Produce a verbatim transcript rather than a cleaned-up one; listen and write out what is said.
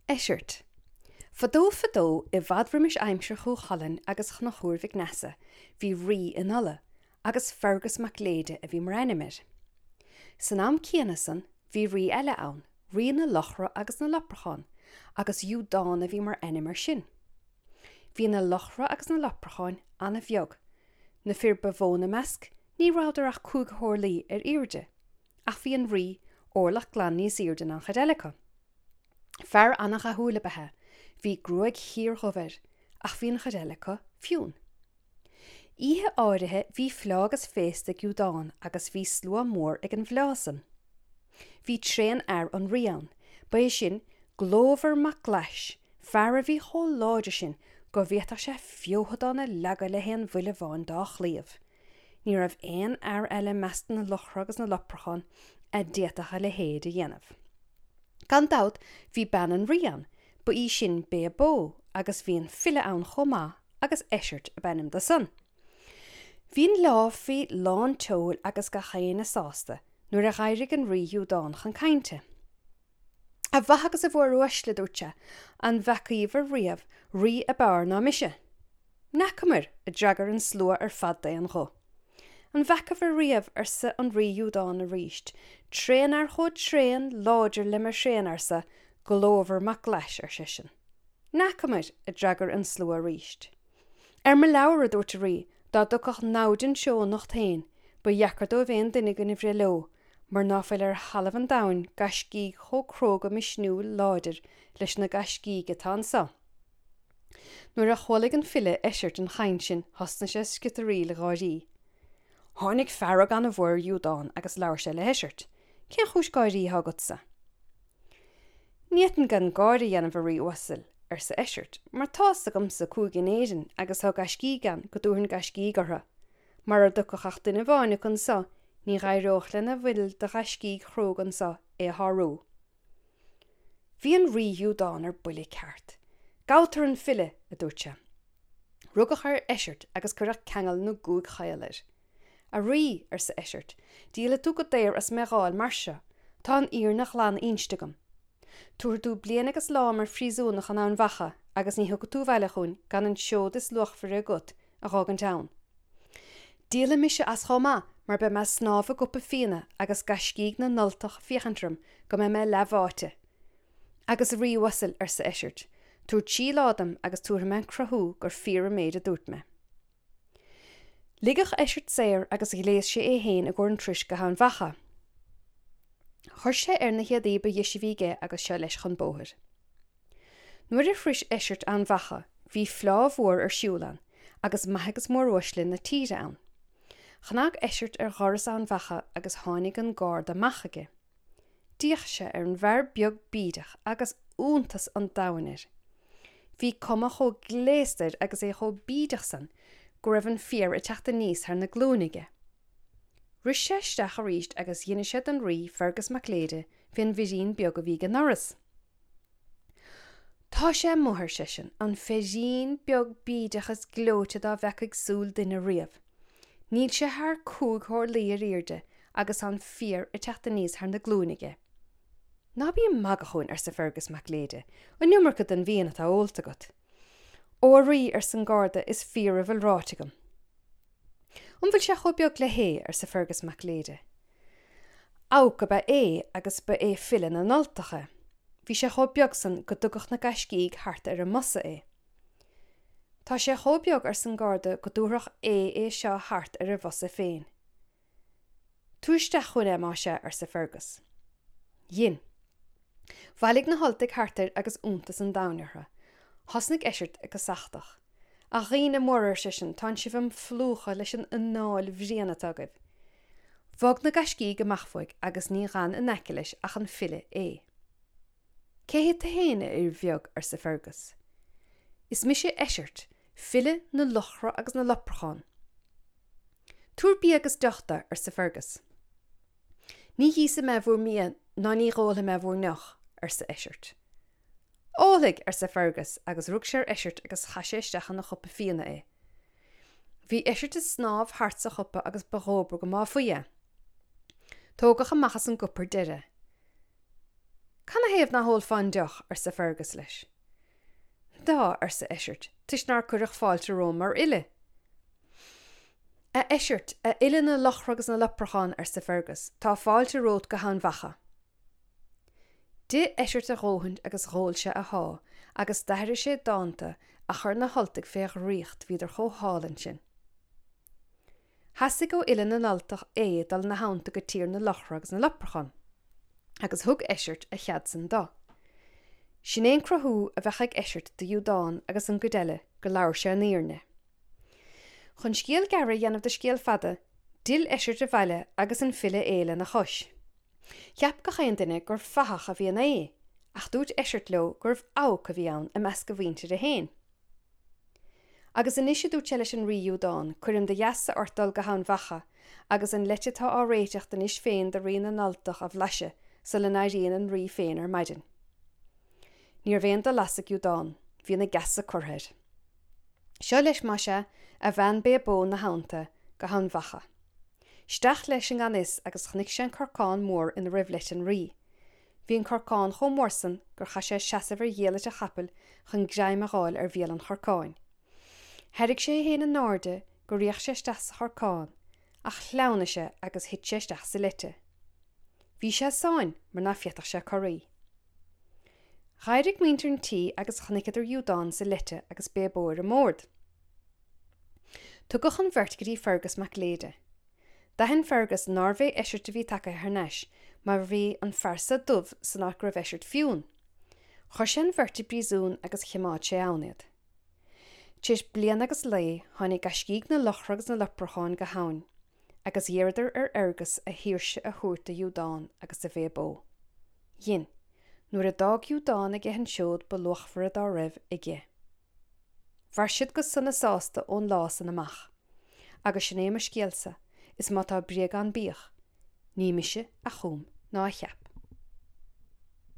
Eisirt. Fadó fadó i bhfad roimis aimsir Chú Chulainn agus Chonchúir Mhic Neasa, bhí rí in Ulaidh, agus Fergus Mac Léide a bhí mar ainm air. San am céanna san, bhí rí eile ann, rí na luchra agus na leipreachán, agus Iúdán a bhí mar ainm air sin. Bhí na luchra agus na leipreacháin an-bheag. Na fir ba mhó ina measc, ní rabhadar ach cúig horlaí ar airde, ach bhí an rí orlach glan níos airde ná an chuid eile acu. Fear an-dhathúil ab ea é, bhí gruaig shíordhubh air, ach bhí an chuid eile acu fionn. Oíche áirithe bhí fleá agus féasta ag Iúdán agus bhí slua mór ag an bhfleá san. Bhí tréanfhear an rí ann, ba é sin Glómhar Mac Glais, fear a bhí chomh láidir sin go bhféadfadh sé feothadán a leagadh le haon bhuille amháin dá chlaíomh. Ní raibh aon fhear eile i measc na luchra agus na leipreachán a d'fhéadfadh a leithéid a dhéanamh. Gan dabht bhí bean an rí ann, ba í sin Béa Bó, agus bhí an file ann chomh maith agus Eisirt ab ainm dó san. Bhí an fhleá faoi lán tseoil agus gach éinne sásta nuair a d'éirigh an rí Iúdán chun cainte. A mhaithe agus a mhóruaisle, a dúirt sé, an bhfeacaíobhair riamh rí ab fhearr ná mise? N'fheacamair, a d'fhreagair an slua ar fad d'aon ghuth. An bhfeacaibhir riamh, arsa an rí Iúdán arís, tréanfhear chomh tréan, láidir le mo thréanfhearsa, Glómhar Mac Glais, ar seisean. N'fheacamair, a d'fhreagair an slua arís. Ar mo leabhar, a dúirt an rí, dá dtiocfadh namhaid anseo anocht féin, ba dheacair dóibh aon duine againn a bhreith leo, mar ná fuil ar thalamh an domhain gaiscígh chomh cróga misniúil láidir leis na gaiscígh atá anso. Nuair a chualaigh an file Eisirt an chaint sin thosnaigh sé ag sciotaraíl gáirí. Tháinig fearg an-mhór ar Iúdán agus labhair sé le hEisirt, Cén chúis gáirí atá agatsa? Ní fhéadfainn gan gáire a dhéanamh, a rí uasail, arsa Eisirt, mar tá's agamsa cúige in Éirinn agus tá gaiscígh ann go dtabharfainn gaiscígh orthu. Mara dtiocfadh ach duine amháin acu anso ní dh'éireodh lena bhfuil de ghaiscígh chróga anso é a shárú. Bhí an rí Iúdán ar buile ceart. Gabhtar an file, a dúirt sé. Rugadh ar Eisirt agus cuireadh ceangal na gcúig chaol air. A Rí, arsa Eisirt, díolfaidh tú go daor as mé a dh'fháil mar seo. Tá an fhírinne ghlan inste agam. Tabharfaidh tú bliain agus lá mar phríosúnach in Eamhain Mhacha agus ní thiocfaidh tú abhaile chugainn gan an seod is luachmhaire agat a dh'fhágaint ann. Díolfaidh mise as chomh maith mar beidh mé ag snámh i gcupa fíona agus gaiscígh na nUltach ag féachaint orm go mbeidh mé leathbháite. Agus a Rí uasail, arsa Eisirt, tabhair trí lá dom agus tabharfaidh mé an cruthú gur fíor an méid a dúirt mé. Ligeadh Eisirt saor agus ghléas sé é féin i gcomhair an turais go hEamhain Mhacha. Chuir sé air na héadaí ba dheise a bhí aige agus seo leis chun bóthair. Nuair a shrois Eisirt Eamhain Mhacha bhí fleá mhór ar siúl ann agus maithe agus móruaisle na tíre ann. Chnag Eisirt ar dhoras Eamhain Mhacha agus tháinig an garda amach chuige. D'fhéach sé ar an bhfear beag bídeach agus iontas an domhain air. Bhí cuma chomh gléasta air agus é chomh bídeach san go raibh an féar ag teacht aníos thar na glúine aige. Rith sé isteach arís agus d'inis sé don rí, Fergus Mac Léide, fén bhfirín beag a bhí ag an ndoras. Tá sé amuigh, ar seisean, an firín beag bídeach is gleoite dá bhfeacaigh súil duine riamh. Níl sé thar cúig horlaí ar airde agus tá an féar ag teacht aníos thar na glúine aige. Ná bí ag magadh fúinn, arsa Fergus Mac Léide, an iomarca den bhfíon atá ólta agat. Ó a Rí, arsa an garda, is fíor a bhfuil ráite agam. An bhfuil sé chomh beag le hAodh? arsa Fergus Mac Léide. Abhac ab ea Aodh agus ba é file na nUltach é. Bhí sé chomh beag san go dtugadh na gaiscígh thart ar a mbosa é. Tá sé chomh beag, arsa an garda, go dtabharfadh Aodh é seo thart ar a bhosa féin. Tabhair isteach chugainn é, más ea, arsa Fergus. Dhein. Bhailigh na hUltaigh thart air agus iontas an domhain orthu. Thosnaigh Eisirt ag casachtach. A dhaoine móra, ar seisean, tánn sibh im phlúchadh leis an anáil bhréan atá agaibh. Bhog na gaiscígh amach uaidh agus ní dh'fhan in aice leis ach an file Aodh. Cé hé tu fhéin, a fhir bheag? arsa Fergus. Is mise Eisirt, file na luchra agus na leipreachán. Tabhair bia agus deoch dó, arsa Fergus. Ní híosfaidh mé bhur mbia ná ní dh'ólfaidh mé bhur ndeoch, arsa Eisirt. Ólfaidh, arsa Fergus, agus rug sé ar Eisirt agus chaith sé isteach ina chupa fíona é. Bhí Eisirt ag snámh thart sa chupa agus ba dhóbair go mbáfaí é. Tógadh amach as an gcupa ar deireadh é. Canathaobh ná hólfá an deoch, arsa Fergus leis. Dá, arsa Eisirt, toisc nár cuireadh fáilte romham mar fhile. A Eisirt, a fhile na luchra agus na leipreachán, arsa Fergus, tá fáilte romhat go hEamhain Mhacha. D'ith Eisirt a dhóthain agus dh'ól sé a sháith agus d'aithris sé dánta a chuir na hUltaigh fé dhraíocht bhíodar chomh hálainn sin. Theastaigh ó fhile na nUltach é dul ina theannta go tír na luchra agus na leipreachán, agus thug Eisirt a chead san dó. Sin é an cruthú a bheadh ag Eisirt do Iúdán agus an gcuid eile gur labhair sé an fhírinne. Chun scéal gearr a dhéanamh de scéal fada, d'fhill Eisirt abhaile agus an file é lena chois. Cheap gach aon duine gur fathach a bhí in Aodh, ach dúirt Eisirt leo gurbh abhac a bhí ann i measc a mhuintire féin. Agus anois a dúirt sé leis an Rí Iúdán, cuirim de gheasa ort dul go hEamhain Mhacha agus an leite atá á réiteacht anois féin do Rí na nUltach a bhlaiseadh sula n-éiríonn an Rí féin ar maidin. Ní raibh aon dul as ag Iúdán, bhí ina geasa curtha air. Seo leis más ea, a bhean Bébó ina theannta, go hEamhain Mhacha. Isteach leis i ngan fhios agus chonaic sé an corcán mór ina raibh leite an Rí. Bhí an corcán chomh mór san gur chaith sé seasamh ar dhiallait a chapaill chun greim a dh'fháil ar bhéal an chorcáin. Thairrig sé é féin in airde gur fhéach sé isteach sa chorcán, ach shleamhnaigh sé agus thit sé isteach sa leite. Bhí sé i sáinn mar ná féadfadh sé corraí. Dh'éirigh muintir an tí agus chonaiceadar Iúdán sa leite agus Bébó ar an mbord. Tugadh an bheirt go dtí Fergus Mac Léide. D'aithin Fergus nárbh é Eisirt a bhí tagtha thar n-ais mar bhí an fear-sa dubh san áit go raibh Eisirt fionn. Chuir sé an bheirt i bpríosún agus chimeád sé ann iad. Tar éis bliana agus lae tháinig gaiscígh na luchra agus na leipreachán go hEamhain, agus d'iarradar ar Fhergus a shaoirse a thabhairt do Iúdán agus do Bhébó. Dhein, nuair a d'fhág Iúdán aige an seod ba luachmhaire dá raibh aige. Mhair siad go sona sásta ón lá san amach. Agus sin é mo scéalsa, is má tá bréag ann bíodh, ní mise a chum ná a cheap.